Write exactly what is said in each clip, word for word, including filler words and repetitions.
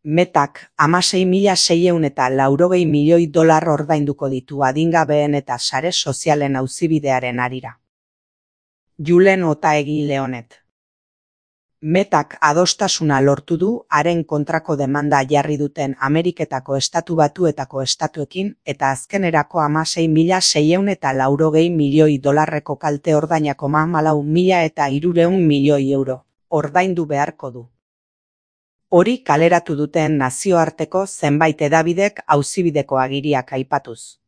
Metak hamasei mila seiehun eta laurogei milioi dolar ordainduko ditu adingabeen eta sare sozialen auzibidearen harira. Julen Otaegi Leonet. Metak adostasuna lortu du haren kontrako demanda jarri duten Ameriketako Estatu Batuetako estatuekin eta azkenerako hamasei mila seiehun eta laurogei milioi dolarreko kalte ordainak hamalau mila eta hirurehun milioi euro ordaindu beharko du. Hori kaleratu duten nazioarteko zenbait hedabidek auzibideko agiriak aipatuz.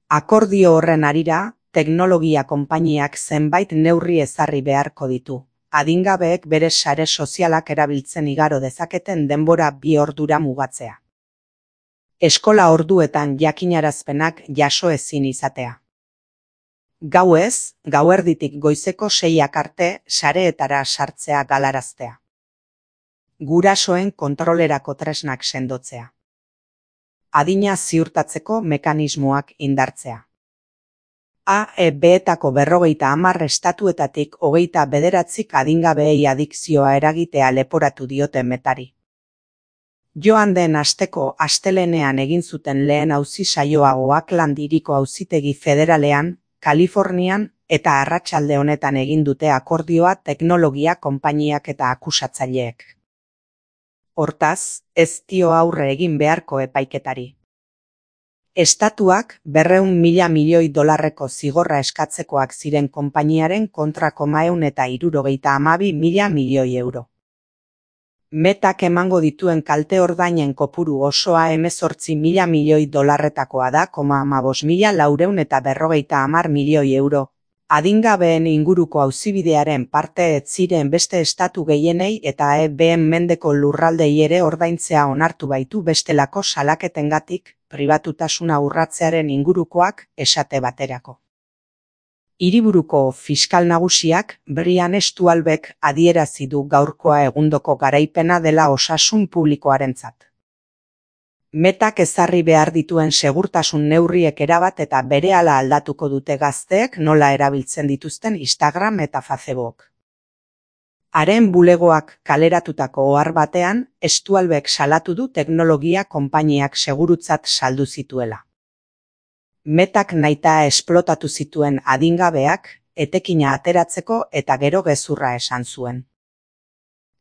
Akordio horren harira, teknologia konpainiak zenbait neurri ezarri beharko ditu. Adingabeek bere sare sozialak erabiltzen igaro dezaketen denbora bi ordura mugatzea. Eskola orduetan jakinarazpenak jaso ezin izatea. Gauez, gauerditik goizeko seiak arte sareetara sartzea galaraztea. Gurasoen kontrolerako tresnak sendotzea. Adina ziurtatzeko mekanismoak indartzea. A E Betako berrogeita hamar estatuetatik hogeita bederatzik adingabeei adikzioa eragitea leporatu diote Metari. Joan den asteko astelehenean egin zuten lehen auzi saioa Oakland hiriko auzitegi federalean, Kalifornian eta arratsalde honetan egin dute akordioa teknologia konpainiak eta akusatzaileek. Hortaz, ez dio aurre egin beharko epaiketari. Estatuak berrehun mila milioi dolarreko zigorra eskatzekoak ziren konpainiaren kontrako maehun eta hirurogeita hamabi mila milioi euro. Metak emango dituen kalte ordainen kopuru osoa hemezortzi mila milioi dolarretakoa da koma hamabost mila laurehun eta berrogeita hamar milioi euro. Adingabeen inguruko auzibidearen parte ez ziren beste estatu gehienei eta E Been mendeko lurraldei ere ordaintzea onartu baitu bestelako salaketengatik, pribatutasuna urratzearen ingurukoak esate baterako. Hiriburuko fiskal nagusiak Brian Stualbek adierazi du gaurkoa egundoko garaipena dela osasun publikoarentzat. Metak ezarri behar dituen segurtasun neurriek erabat eta berehala aldatuko dute gazteek nola erabiltzen dituzten Instagram eta Facebook. Haren bulegoak kaleratutako ohar batean, Stualbek salatu du teknologia konpainiak segurutzat saldu zituela. Metak nahita esplotatu zituen adingabeak, etekina ateratzeko eta gero gezurra esan zuen.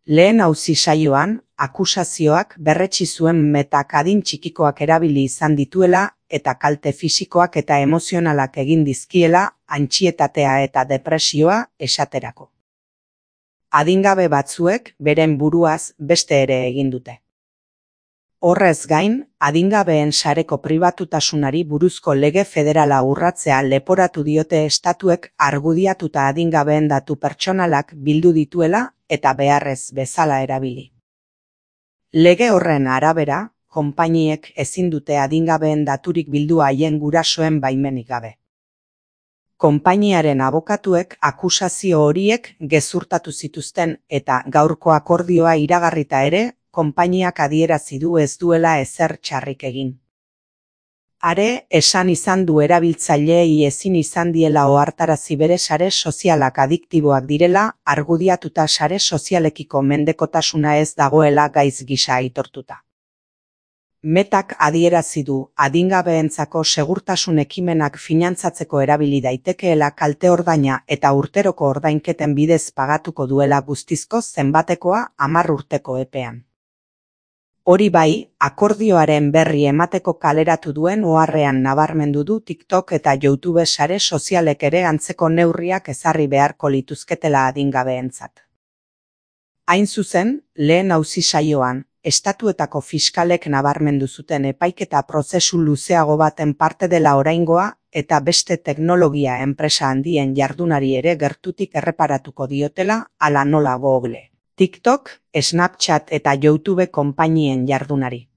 Lehen auzi saioan, akusazioak berretsi zuen Metak adin txikikoak erabili izan dituela eta kalte fisikoak eta emozionalak egin dizkiela, antsietatea eta depresioa esaterako. Adingabe batzuek beren buruaz beste ere egin dute. Horrez gain, adingabeen sareko pribatutasunari buruzko lege federala urratzea leporatu diote estatuek argudiatuta adingabeen datu pertsonalak bildu dituela eta beharrez bezala erabili. Lege horren arabera, konpainiek ezin dute adingabeen daturik bildu haien gurasoen baimenik gabe. Konpainiaren abokatuek akusazio horiek gezurtatu zituzten eta gaurko akordioa iragarrita ere, konpainiak adierazi du ez duela ezer txarrik egin. Are, esan izan du erabiltzaileei ezin izan diela ohartarazi bere sare sozialak adiktiboak direla, argudiatuta sare sozialekiko mendekotasuna ez dagoela gaiz gisa aitortuta. Metak adierazi du adingabeentzako segurtasun ekimenak finantzatzeko erabili daitekeela kalte ordaina eta urteroko ordainketen bidez pagatuko duela guztizko zenbatekoa hamar urteko epean. Hori bai, akordioaren berri emateko kaleratu duen oharrean nabarmendu du TikTok eta YouTube sare sozialek ere antzeko neurriak ezarri beharko lituzketela adingabeentzat. Hain zuzen, lehen auzi saioan, estatuetako fiskalek nabarmendu zuten epaiketa prozesu luzeago baten parte dela oraingoa eta beste teknologia enpresa handien jardunari ere gertutik erreparatuko diotela hala nola Google, TikTok, Snapchat eta YouTube konpainien jardunari.